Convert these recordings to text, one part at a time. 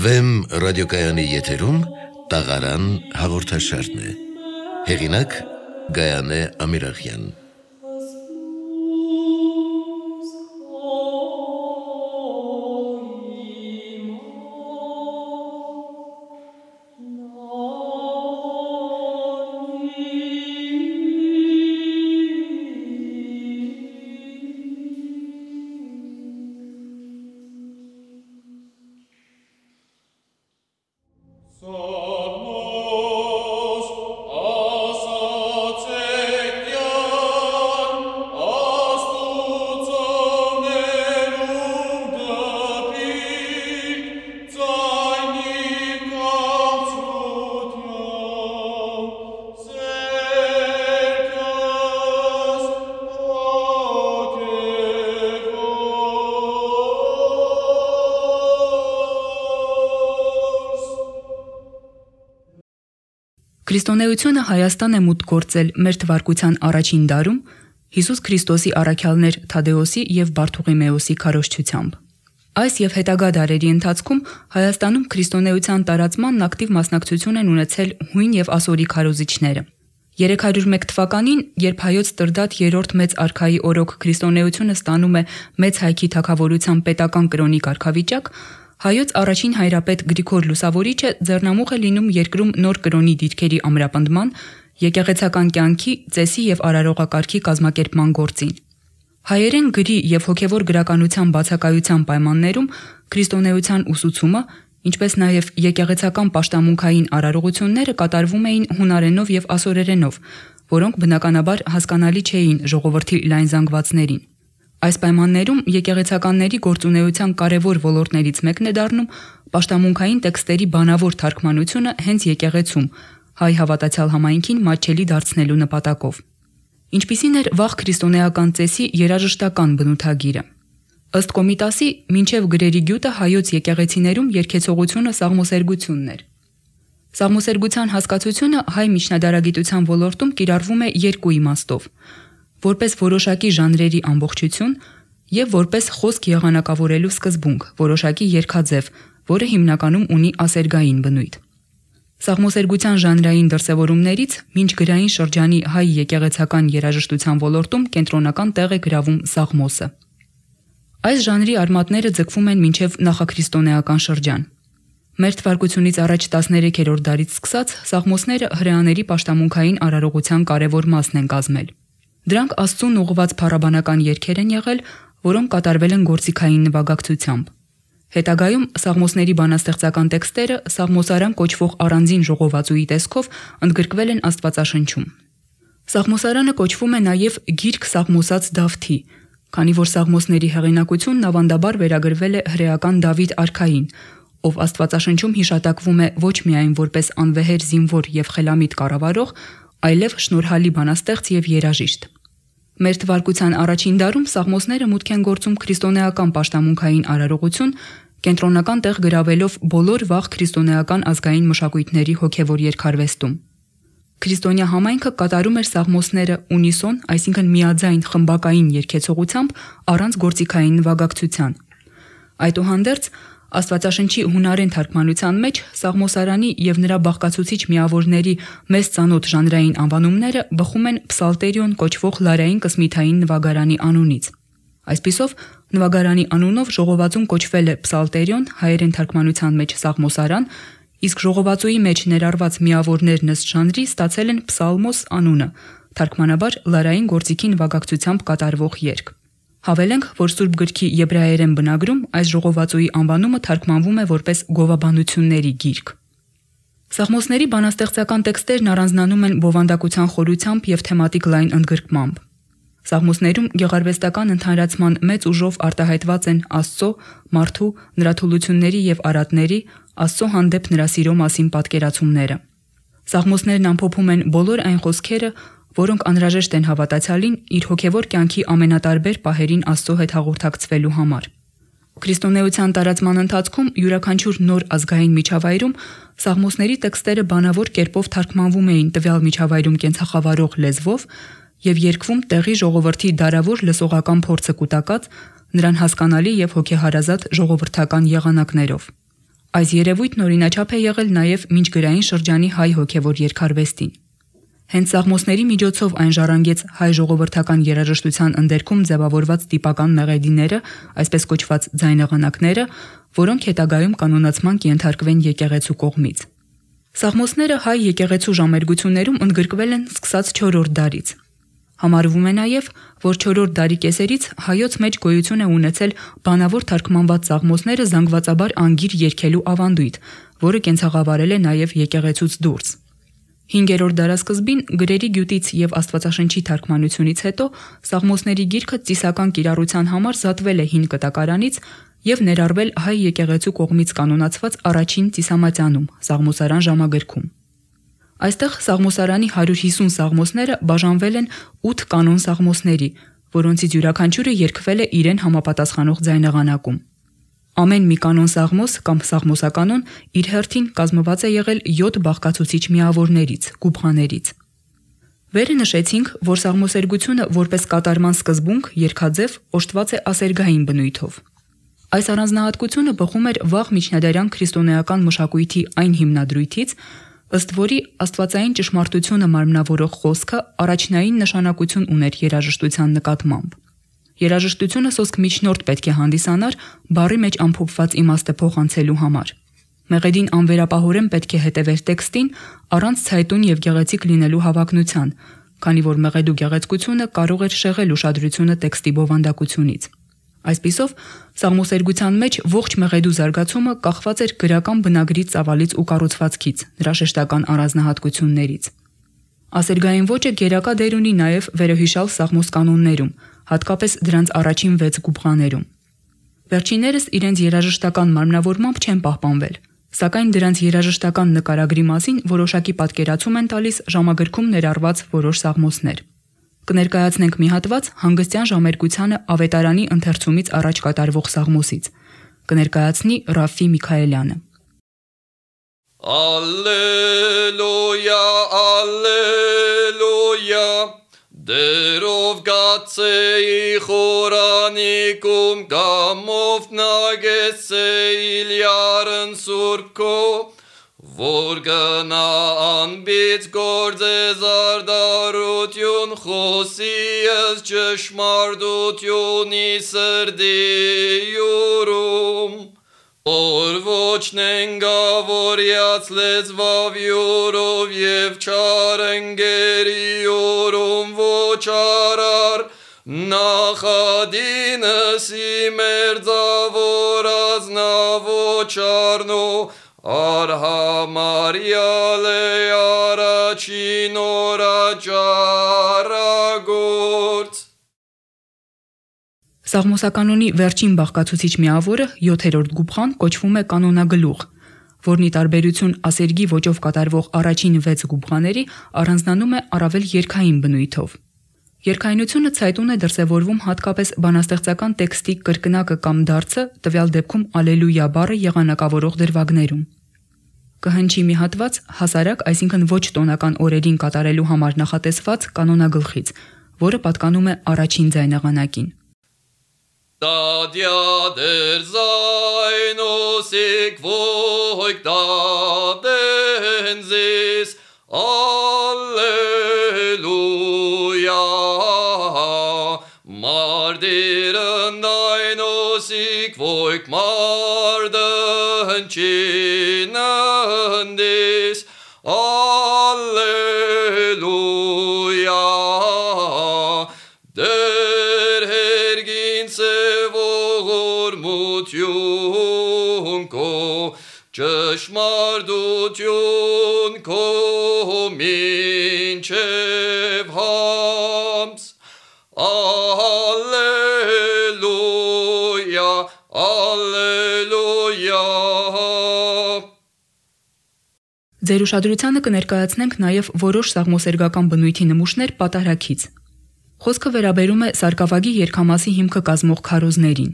Վեմ ռադիոկայանի եթերում տաղարան հաղորդաշարն է։ Հեղինակ Գայանե Ամիրախյան։ Քրիստոնեությունը Հայաստան է մուտք գործել մեր թվարկության առաջին դարում Հիսուս Քրիստոսի առաքյալներ Թադեոսի եւ Բարթուղիմեոսի քարոզչությամբ։ Այս եւ հետագա դարերի ընթացքում Հայաստանում քրիստոնեության տարածմանն ակտիվ մասնակցություն են ունեցել հույն եւ ասորի քարոզիչները։ 301 թվականին, երբ հայոց Տրդատ III մեծ արքայի օրոք քրիստոնեությունը ստանում է մեծ հայքի թագավորության պետական կրոնի կարգավիճակ, հայոց առաջին հայրապետ Գրիգոր Լուսավորիչը ձեռնամուխ է լինում երկրում նոր կրոնի դիրքերի ամրապնդման, եկեղեցական կյանքի, ծեսի եւ արարողակարգի կազմակերպման գործին։ Հայերեն գրի եւ հոգեվոր գրականության բացակայության պայմաններում քրիստոնեության ուսուցումը, ինչպես նաեւ եկեղեցական պաշտամունքային արարողությունները կատարվում էին հունարենով եւ ասորերենով, որոնք բնականաբար հասկանալի չէին ժողովրդի լայն զանգվածներին։ Այս պայմաններում եկեղեցականների գործունեության կարևոր ոլորտներից մեկն է դառնում պաշտամունքային տեքստերի բանավոր թարգմանությունը հենց եկեղեցում, հայ հավատացյալ համայնքին մատչելի դարձնելու նպատակով։ Ինչպիսին էր վաղ քրիստոնեական ծեսի երաժշտական բնութագիրը։ Ըստ Կոմիտասի, մինչև գրերի գյուտը հայոց եկեղեցիներում երգեցողությունը սաղմոսերգությունն էր։ Սաղմոսերգության հասկացությունը հայ միջնադարագիտության ոլորտում կիրառվում է երկու իմաստով՝ որպես որոշակի ժանրերի ամբողջություն եւ որպես խոսք եղանակավորելու սկզբունք, որոշակի երգաձև, որը հիմնականում ունի ասերգային բնույթ։ Սաղմոսերգության ժանրային դրսևորումներից մինչ գրային շրջանի հայ եկեղեցական երաժշտության ոլորտում կենտրոնական տեղ է գրավում սաղմոսը։ Այս ժանրի արմատները ձգվում են մինչև նախաքրիստոնեական շրջան։ Մեր թվարկությունից առաջ 13-րդ դարից սկսած սաղմոսները հրեաների պաշտամունքային արարողության կարևոր մասն են կազմել։ Դրանք Աստծուն ուղղված փառաբանական երգեր են եղել, որոնք կատարվել են գործիքային նվագակցությամբ։ Հետագայում սաղմոսների բանաստեղծական տեքստերը սաղմոսարան կոչվող առանձին ժողովածուի տեսքով ընդգրկվել են Աստվածաշնչում։ Սաղմոսարանը կոչվում է նաև գիրք սաղմոսած Դավթի, քանի որ սաղմոսների հեղինակությունն ավանդաբար վերագրվել է հրեական Դավիթ արքային, ով Աստվածաշնչում հիշատակվում է ոչ միայն որպես անվեհեր զինվոր եւ խելամիտ կառավարող, այլև շնորհալի բանաստեղծ եւ երաժիշտ։ Մեր թվարկության առաջին դարում սաղմոսները մուտք են գործում քրիստոնեական պաշտամունքային արարողություն, կենտրոնական տեղ գրավելով բոլոր վաղ քրիստոնեական ազգային մշակույթների հոգեվոր երգարվեստում։ Քրիստոնյա համայնքը կատարում էր սաղմոսները ունիսոն, այսինքն միաձայն խմբակային երգեցողությամբ առանց գործիքային նվագակցության։ Այդուհանդերձ Աստվածաշնչի հունարեն թարգմանության մեջ սաղմոսարանի եւ նրա բաղկացուցիչ միավորների մեծ ծանոթ ժանրային անվանումները բխում են Պսալտերիոն կոչվող լարային կսմիթային նվագարանի անունից։ Այսպիսով, նվագարանի անունով ժողովածուն կոչվել է Պսալտերիոն, հայերեն թարգմանության մեջ սաղմոսարան, իսկ ժողովածուի մեջ ներառված միավորներն ըստ ժանրի ստացել են Պսալմոս անունը, թարգմանաբար լարային գործիքի նվագակցությամբ կատարվող երգ։ Հավելենք, որ Սուրբ գրքի եբրայերեն բնագրում այս ժողովածուի անվանումը թարգմանվում է որպես գովաբանությունների գիրք։ Սաղմոսների բանաստեղծական տեքստերն առանձնանում են բովանդակության խորությամբ եւ թեմատիկ լայն ընդգրկմամբ։ Սաղմոսներում գեղարվեստական ընդհանրացման մեծ ուժով արտահայտված են Աստծո, մարդու, նրա թուլությունների եւ արատների, Աստծո հանդեպ նրա սիրո մասին պատկերացումները։ Սաղմոսներն ամփոփում են բոլոր այն խոսքերը, որոնք անհրաժեշտ են հավատացյալին իր հոգևոր կյանքի ամենատարբեր պահերին Աստծո հետ հաղորդակցվելու համար։ Քրիստոնեության տարածման ընթացքում յուրաքանչյուր նոր ազգային միջավայրում սաղմոսների տեքստերը բանավոր կերպով թարգմանվում էին տվյալ միջավայրում կենցաղավարող լեզվով եւ երգվում տեղի ժողովրդի դարավոր լսողական փորձը կուտակած, նրան հասկանալի եւ հոգեհարազատ ժողովրդական եղանակներով։ Այս երևույթն օրինաչափ է եղել նաև միջգրային շրջանի հայ հոգևոր երգարվեստին։ Հենց սաղմոսների միջոցով այն ժառանգեց հայ ժողովրդական երաժշտության ընդերքում ձևավորված տիպական մեղեդիները, այսպես կոչված ձայնեղանակները, որոնք հետագայում կանոնացման կենթարկվեն եկեղեցու կողմից։ Սաղմոսները հայ եկեղեցու ժամերգություններում ընդգրկվել են սկսած 4-րդ դարից։ Համարվում է նաև, որ 4-րդ դարի կեսերից հայոց մեջ գոյություն է ունեցել բանավոր թարգմանված սաղմոսները զանգվածաբար անգիր երգելու ավանդույթ, որը կենցաղավարել է նաև եկեղեցուց դուրս։ 5-րդ դարասկզբին գրերի գյուտից եւ Աստվածաշնչի թարգմանությունից հետո սաղմոսների գիրքը ծիսական կիրառության համար զատվել է հին կտակարանից եւ ներառվել հայ եկեղեցու կողմից կանոնացված առաջին ծիսամատյանում սաղմոսարան ժամագրքում։ Այստեղ սաղմոսարանի 150 սաղմոսները բաժանվել են 8 կանոն սաղմոսների, որոնցից յուրաքանչյուրը երգվել է իրեն համապատասխանող ձայնեղանակում։ Ամեն մի կանոն սաղմոս կամ սաղմոսականոն իր հերթին կազմված է եղել 7 բաղկացուցիչ միավորներից, գուբղաներից։ Վերը նշեցինք, որ սաղմոսերգությունը որպես կատարման սկզբունք, երգաձև, օժտված է ասերգային բնույթով։ Այս առանձնահատկությունը բխում էր վաղ միջնադարյան քրիստոնեական մշակույթի այն հիմնադրույթից, ըստ որի աստվածային ճշմարտությունը մարմնավորող խոսքը առաջնային նշանակություն ուներ երաժշտության նկատմամբ։ Երաժշտությունը սոսկ միջնորդ պետք է հանդիսանար բառի մեջ ամփոփված իմաստը փոխանցելու համար։ Մեղեդին անվերապահորեն պետք է հետևեր տեքստին առանց ցայտուն եւ գեղեցիկ լինելու հավակնության, քանի որ մեղեդու գեղեցկությունը կարող էր շեղել ուշադրությունը տեքստի բովանդակությունից։ Այսպիսով, սաղմոսերգության մեջ ողջ մեղեդու զարգացումը կախված էր գրական բնագրի ծավալից ու կառուցվածքից, նրա շեշտական առանձնահատկություններից։ Ասերգային ոճը գերակա դեր ունի նաև վերոհիշալ սաղմոս կանոններում, հատկապես դրանց առաջին 6 գուբղաներում։ Վերջիններս իրենց երաժշտական մարմնավորմամբ չեն պահպանվել, սակայն դրանց երաժշտական նկարագրի մասին որոշակի պատկերացում են տալիս ժամագրքում ներառված որոշ սաղմոսներ։ Կներկայացնենք մի հատված հանգստյան ժամերգությանը ավետարանի ընթերցումից առաջ կատարվող սաղմոսից։ Կներկայացնի Ռաֆի Միքայելյանը։ Alleluia, alleluia, Դերով գացեի խորանիկում, գամով նագեցեիլ յարն սուրքո, որ գնա անբից գործեզ արդարություն, խոսի ես ճշմարտությունի սրդի յուրում, որ ոչ նենգավորյաց լեզվավ յուրով և չարընգերի յուրում ոչ արար, նախադինս իմերձավոր ազնավ ոչ արնու, արհամարյալ է առաջին օրաճարագործ։ Սաղմոսականոնի վերջին բաղկացուցիչ միավորը 7-րդ գուբղան կոչվում է կանոնագլուխ, որն ի տարբերություն ասերգի ոճով կատարվող առաջին 6 գուբղաների առանձնանում է առավել երգային բնույթով։ Երգայնությունը ցայտուն է դրսևորվում հատկապես բանաստեղծական տեքստի կրկնակը կամ դարձը, տվյալ դեպքում ալելույա բառը եղանակավորող դրվագներում։ Կհնչի մի հատված հասարակ, այսինքն ոչ տոնական օրերին կատարելու համար նախատեսված կանոնագլխից, որը պատկանում է առաջին ձայնեղանակին։ Դադյա դեր զայնոսիկ ոյք դադենզիս, Alleluia, Mardirën dajnosik vojk mardën qinëndis, Alleluia, der hergin se vogor mutjun ko, Ճշմարտություն քո մինչև համս, Ալելույա, Ալելույա։ Ձեր ուշադրությանը կներկայացնենք նաև որոշ սաղմոսերգական բնույթի նմուշներ պատարագից։ Խոսքը վերաբերում է սարկավագի երգամասի հիմքը կազմող քարոզներին։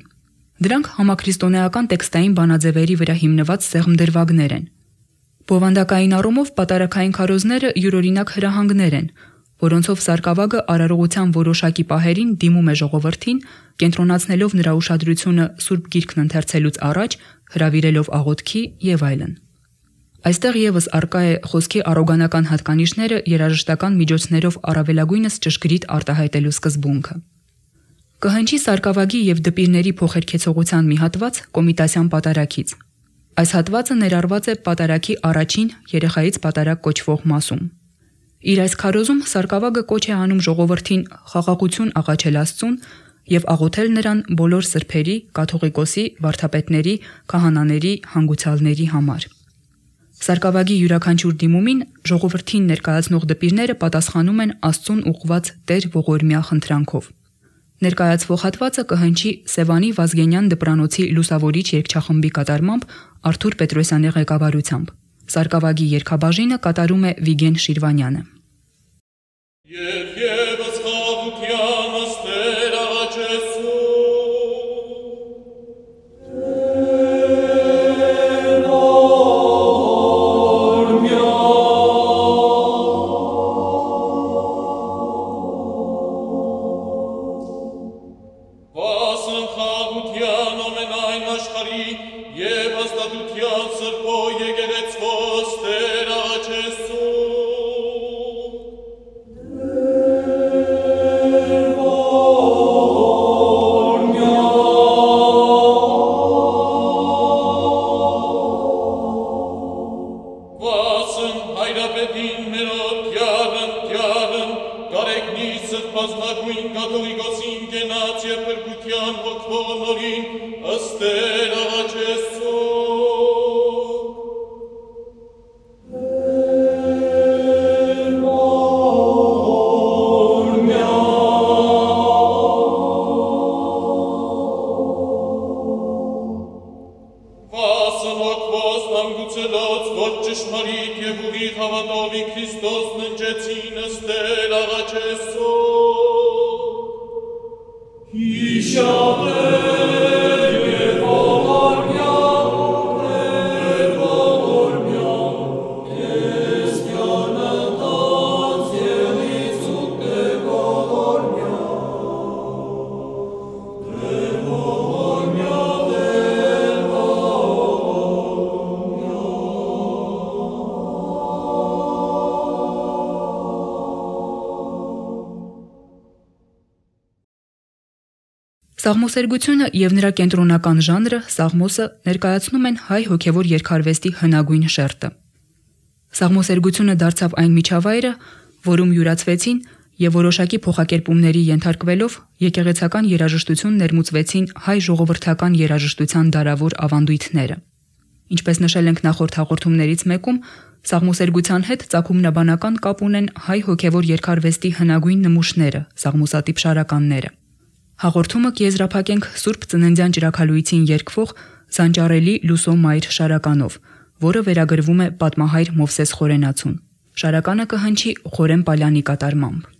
Դրանք համաքրիստոնեական տեքստային բանաձևերի վրա հիմնված սեղմդրվագներ են։ Բովանդակային առումով պատարագային քարոզները յուրօրինակ հրահանգներ են, որոնցով սարկավագը արարողության որոշակի պահերին դիմում է ժողովրդին, կենտրոնացնելով նրա ուշադրությունը Սուրբ Գիրքն ընթերցելուց առաջ, հրավիրելով աղոթքի եւ այլն։ Այստեղ եւս արկա է խոսքի առոգանական հատկանիշները երաժշտական միջոցներով առավելագույնս ճշգրիտ արտահայտելու սկզբունքը։ Կհնչի սարկավագի եւ դպիրների փոխերքեցողության մի հատված Կոմիտասյան պատարագից։ Այս հատվածը ներառված է պատարագի առաջին երեխայից պատարագ կոչվող մասում։ Իր այս քարոզում սարկավագը կոչ է անում ժողովրդին խաղաղություն աղաչել Աստծուն եւ աղոթել նրան բոլոր սրբերի, կաթողիկոսի, վարդապետների, քահանաների, հանգուցյալների համար։ Սարկավագի յուրաքանչյուր դիմումին ժողովրդին ներկայացնող դպիրները պատասխանում են Աստծուն ուղղված Տեր ողորմյա խնդրանքով։ Ներկայացվող հատվածը կհնչի Սևանի Վազգենյան դպրանոցի լուսավորիչ երգչախմբի կատարմամբ Արթուր Պետրոսյանի ղեկավարությամբ։ Սարկավագի երգաբաժինը կատարում է Վիգեն Շիրվանյանը։ Սաղմոսերգությունը եւ նրա կենտրոնական ժանրը սաղմոսը ներկայացնում են հայ հոգևոր երգարվեստի հնագույն շերտը։ Սաղմոսերգությունը դարձավ այն միջավայրը, որում յուրացվեցին եւ որոշակի փոխակերպումների ենթարկվելով եկեղեցական երաժշտություն ներմուծվեցին հայ ժողովրդական երաժշտության դարավոր ավանդույթները։ Ինչպես նշել ենք նախորդ հաղորդումներից մեկում, սաղմոսերգության հետ ծագումնաբանական կապ ունեն հայ հոգևոր երգարվեստի հնագույն նմուշները, սաղմոսատիպ շարականները։ Հաղորդումը կեզրափակենք Սուրբ Ծննդյան ճրագալույցին երգվող Զանճարելի Լուսո Մայր շարականով, որը վերագրվում է պատմահայր Մովսես Խորենացուն։ Շարականը կհնչի Խորեն Պալյանի կատարմամբ։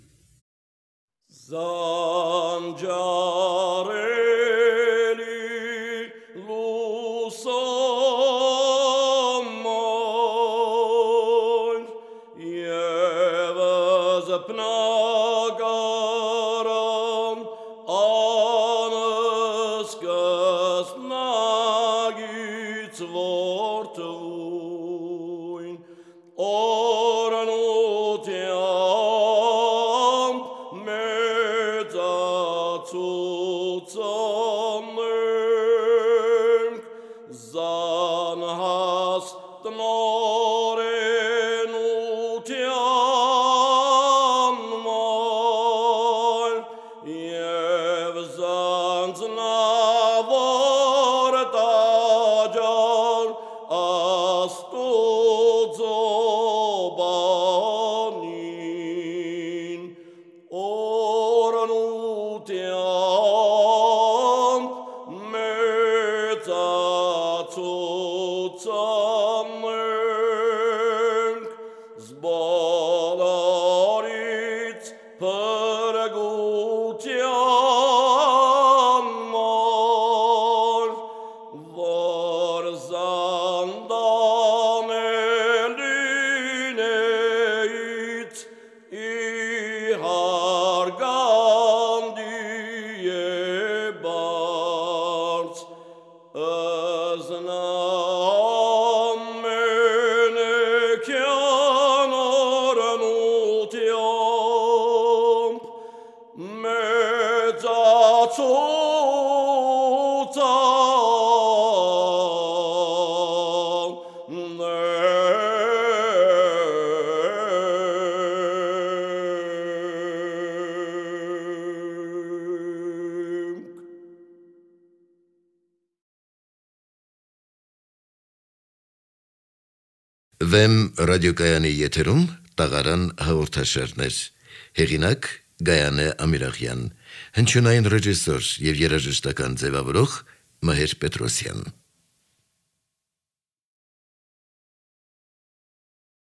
Վեմ ռադիոկայանի եթերում տաղարան հաղորդաշարներ։ Հեղինակ Գայանե Ամիրախյան, հնչյունային ռեժիսոր եւ երաժշտական ձևավորող Մհեր Պետրոսյան։